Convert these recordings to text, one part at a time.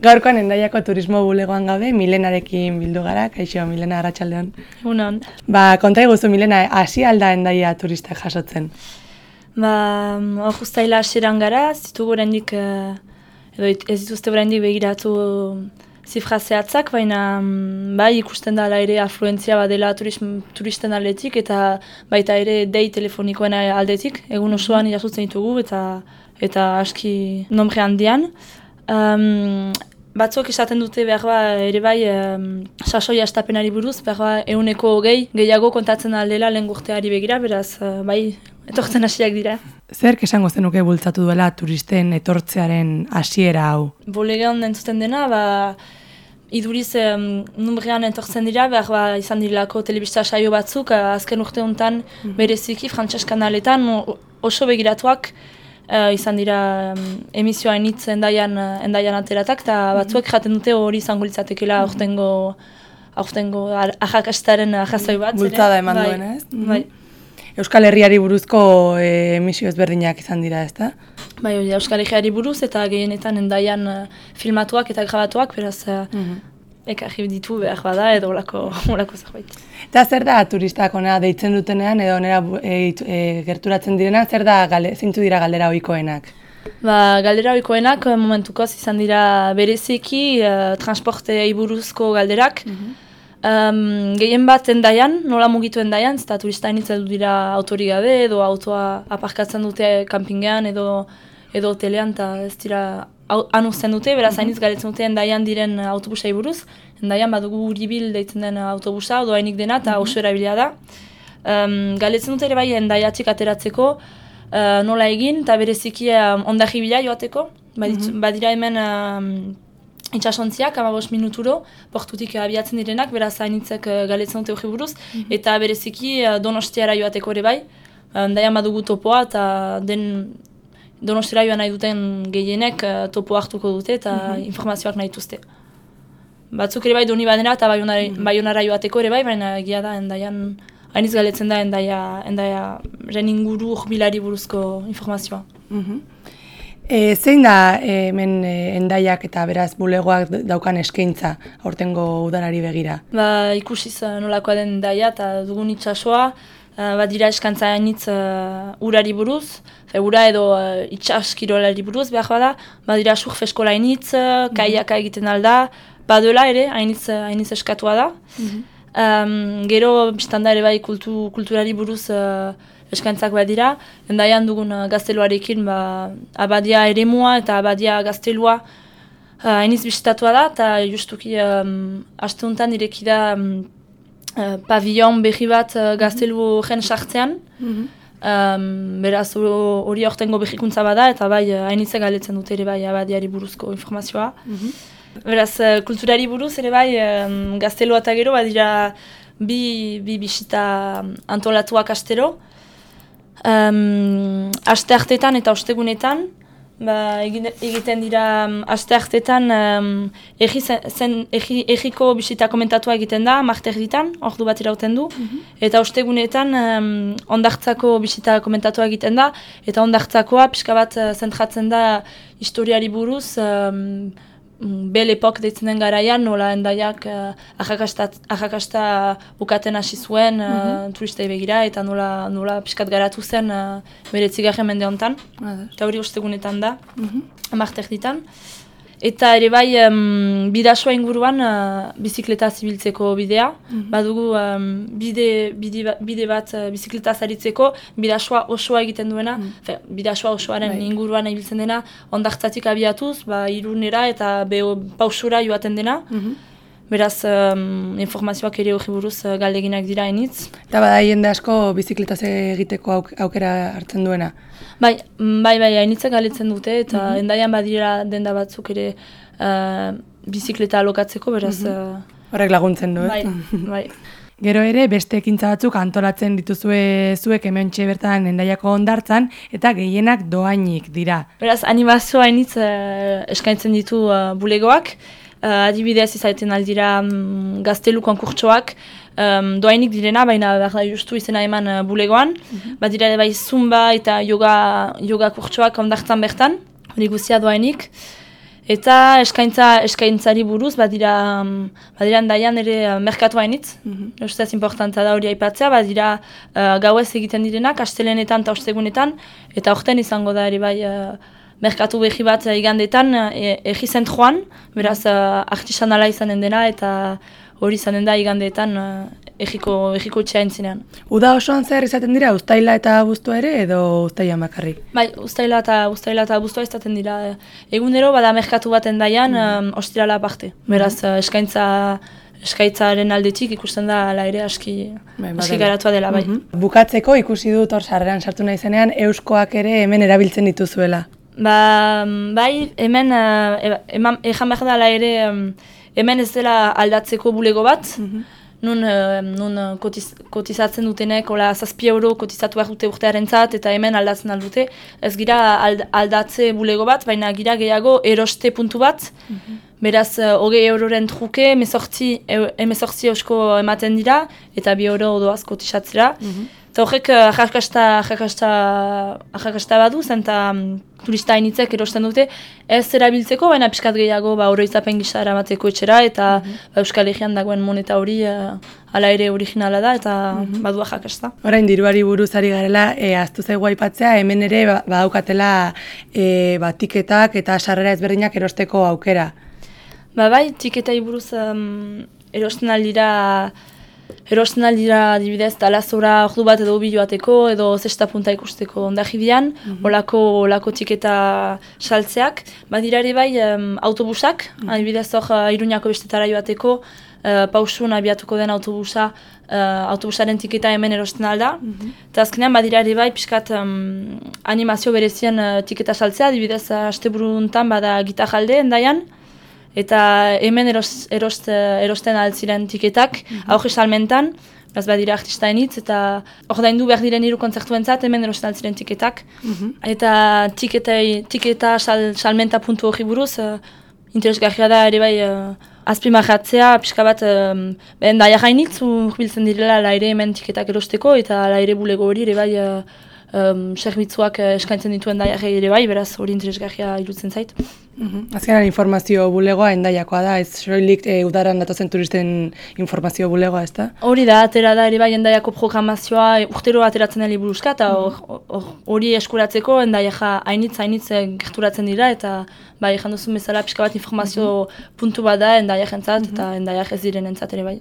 Gaurkoan Hendaiako turismo bulegoan gaude, Milenarekin bildu gara, kaixo, Milena, arratsaldeon. Egunon. Konta iguzu, Milena, hasi alda Hendaia turistak jasotzen? Hor uztaila hasieran gara, ez ditugu oraindik, edo ez dituzte oraindik begiratu zifra zehatzak, baina bai ikusten da ere afluentzia badela turisten aldetik, eta baita ere dei telefonikoen aldetik, egun osoan jasotzen ditugu, eta aski nombre handian. Batzuk esaten dute behar ere bai sasoia estapenari buruz, behar 120 gehiago kontatzen aldela lehen urteari begira, beraz bai etortzen hasiak dira. Zerk esango zenuke bultzatu duela turisten etortzearen hasiera hau? Bulegoan entzuten dena, iduriz numbrean etortzen dira, behar izan direlako telebista saio batzuk, azken urte honetan bereziki frantses kanaletan oso begiratuak, izan dira emisioa initz Hendaian ateratak, eta batzuek jaten dute hori izango litzatekela aurtengo arrakastaren jazoi bat. Bultzada eman duen, ez? Bai. Euskal Herriari buruzko emisio ezberdinak izan dira, ezta? Bai, Euskal Herriari buruz eta gehienetan Hendaian filmatuak eta grabatuak, beraz ekarri ditu behar bada edo olako zerbait. Eta zer da turistak onera deitzen dutenean edo onera gerturatzen direna, zeintzu dira galdera ohikoenak? Galdera ohikoenak momentukoz izan dira bereziki transportei buruzko galderak. Gehien bat Hendaian, nola mugitu Hendaian, eta turista initzen dira autorik gabe edo autoa aparkatzen dute kanpingean edo hotelean, eta ez dira han uzten dute, beraz hainitz galetzen dute Hendaian diren autobusai buruz. Hendaian badugu Uribil deitzen den autobusa, odoainik dena, eta oso erabilia da. Galetzen dute ere bai Hendaiatik ateratzeko nola egin, eta bereziki ondarri bila joateko. Badira hemen itxasontziak, 15 minuturo, portutik abiatzen direnak, beraz hainitzek galetzen dute hori buruz, eta bereziki Donostiara joateko ere bai. Hendaian badugu topoa, eta Donostira joan nahi duten gehienek topo hartuko dute eta informazioak nahi dituzte. Batzuk ere bai doni badena eta Baionara joateko ere bai, baina egia da Hendaian, hainiz galetzen da Hendaiaren inguru urbilari buruzko informazioa. Zein da hemen Hendaiak eta beraz bulegoak daukan eskaintza aurtengo udalari begira? Ikusiz nolakoa den Hendaia eta dugun itsasoa, badira eskantza hainitz urari buruz, ura edo itxaskirolari buruz behar bada, badira surf eskola hainitz, kaiaka egiten alda, baduela ere hainitz eskatua da. Gero biztanda ere bai kulturari buruz eskantzak badira, Hendaian dugun gazteluarekin abadia eremua eta abadia gaztelua hainitz bizitatua da, eta justuki aste honetan ireki da pavillon berri bat gaztelu gen sartzean, beraz hori aurtengo berrikuntza bada, eta bai hainitze galetzen dute ere bai abadiari buruzko informazioa. Beraz kulturari buruz ere bai gaztelua eta gero badira bi bisita antolatuak astero. Aste hartetan eta ostegunetan, egiten dira aste hartetan egiko bisita komentatua egiten da, marterditan, ordu bat irauten du, eta ostegunetan ondartzako bisita komentatua egiten da, eta ondartzakoa pixka bat zentratzen da historiari buruz, Belle Époque deitzen den garaian, nola Hendaiak arrakasta bukaten hasi zuen turistei begira, eta nola pixkat garatu zen bere 9. mende honetan, eta hori ostegunetan da, marterditan. Eta ere bai bidasoa inguruan bizikleta zibiltzeko bidea, badugu bide bat bizikletaz aritzeko, bidasoa osoa egiten duena, bidasoa osoaren inguruan ibiltzen dena, ondartzatik abiatuz, Irunera eta pausura joaten dena. Beraz, informazioak ere hori buruz galdeginak dira hainitz. Eta bada jende asko bizikletaz egiteko aukera hartzen duena? Bai, hainitzek galetzen dute, eta Hendaian badira denda batzuk ere bizikleta alokatzeko, beraz... Horrek laguntzen du, Bai. Gero ere, beste ekintza batzuk antolatzen dituzue zuek hementxe bertan Hendaiako hondartzan, eta gehienak doainik dira. Beraz, animazioa hainitz eskaintzen ditu bulegoak, adibidez izaten aldira gaztelu konkurtsoak, doainik direna, baina justu izena eman bulegoan, badira bai zumba eta yoga kurtsoak ondartzan bertan, hori guztia doainik. Eta eskaintzari buruz, badira Hendaian ere merkatu hainitz. Ustez importanta da hori aipatzea, badira gauez egiten direnak, astelenetan eta ostegunetan, eta aurten izango da ere bai merkatu behi bat igandetan egi zentroan, beraz artisanala izanen dena, eta hori izanen da igandeetan egiko etxea entzinean. Uda osoan zer izaten dira, uztaila eta abuztua ere, edo uztaila bakarrik? Bai, uztaila eta abuztua izaten dira. Egunero bada merkatu bat Hendaian, ostirala aparte. Beraz, eskaitzaren aldetik ikusten da ala ere aski garatua dela, bai. Bukatzeko ikusi dut hor sarreran sartu nahi zenean, euskoak ere hemen erabiltzen dituzuela. Bai, hemen, ejan behar dela ere, hemen ez dela aldatzeko bulego bat, nun kotizatzen dutenek, 7 euro kotizatu behar dute urtearentzat, eta hemen aldatzen aldute. Ez gira aldatze bulego bat, baina gira gehiago eroste puntu bat, beraz 20 euroren truke, 18 eusko ematen dira, eta 2 euro doaz kotizatzera. Eta horrek ahakasta badu, zenta turista hainitzek erosten dute, ez erabiltzeko, baina pixkat gehiago oroitzapen gisa eramateko etxera, eta Euskal Herrian dagoen moneta hori hala ere originala da, eta badu ahakasta. Orain diruari buruz ari garela, ahaztu zaigu aipatzea, hemen ere badaukatela tiketak eta sarrera ezberdinak erosteko aukera. Bai, tiketai buruz erosten aldira adibidez talazora ordu bat edo bi joateko edo zesta punta ikusteko ondajibian, olako tiketa saltzeak. Badira ere bai autobusak, adibidez hor Iruñako bestetara joateko, pausun abiatuko den autobusaren tiketa hemen erosten alda. Eta azkenean badira ere bai pixkat animazio berezien tiketa saltzea, adibidez asteburuntan bada Gitajalde Hendaian, eta hemen erosten altziren tiketak, auge salmentan, beraz badira artista hainitz, eta ordaindu behar diren 3 kontzertuentzat hemen erosten altziren tiketak. Eta tiketa salmenta puntu hori buruz, interesgarria da ere bai azpimarratzea, pixka bat Hendaia hainitz urbiltzen direla ala ere hemen tiketak erosteko, eta ala ere bulego hori ere bai zerbitzuak eskaintzen dituen Hendaiak ere bai, beraz hori interesgarria iruditzen zait. Azkenan informazio bulegoa Hendaiakoa da, ez soilik udaran datozen turisten informazio bulegoa, ez da? Hori da, atera da ere bai Hendaiako programazioa urtero ateratzen da liburuska, eta hori eskuratzeko Hendaiak hainitz gerturatzen dira, eta bai, ejan duzun bezala pixka bat informazio puntu bat da Hendaiak entzat, eta Hendaiak ez diren entzat ere bai.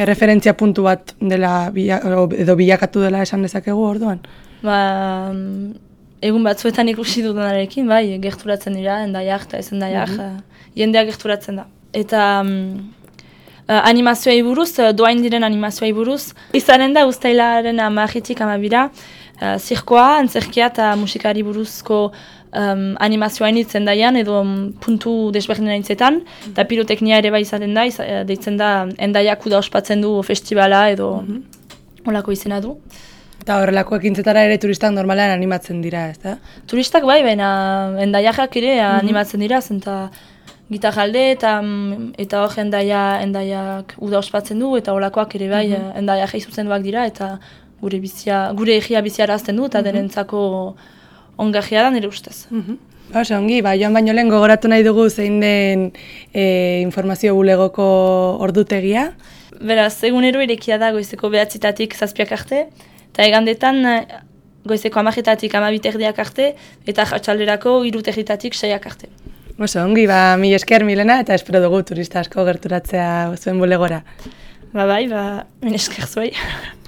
Referentzia puntu bat dela edo bilakatu dela esan dezakegu orduan? Egun batzuetan ikusi dutenarekin, bai, gerturatzen dira, Hendaiak eta ez Hendaiak, jendeak gerturatzen da. Eta animazioei buruz, doain diren animazioei buruz, izanen da uztailaren 10-tik 12, zirkoa, antzerkia eta musikari buruzko animazioa hainitz Hendaian, edo puntu desberdinen haintzetan, eta piroteknia ere bai izaten da, deitzen da Hendaiak uda ospatzen du festivala edo holako izena du. Eta horrelako ekintzetara ere turistak normalean animatzen dira, ez da? Turistak bai, baina Hendaiak ere animatzen dira, zenta Gitajalde eta hor Hendaiak uda ospatzen du, eta holakoak ere bai Hendaiak zuzenduak dira, eta gure egia biziarazten du, eta denentzako ongarria da nire ustez. Ongi, joan baino lehen gogoratu nahi dugu zein den informazio bulegoko ordutegia. Beraz, egunero irekia da goizeko 9-tatik 7 arte, eta egandetan goizeko 10-tatik 12 arte, eta atxalderako 3-tatik 6 arte. Ongi, mila esker Milena, eta espero dugu turista asko gerturatzea zuen bulegora. Bai, mila esker zuei.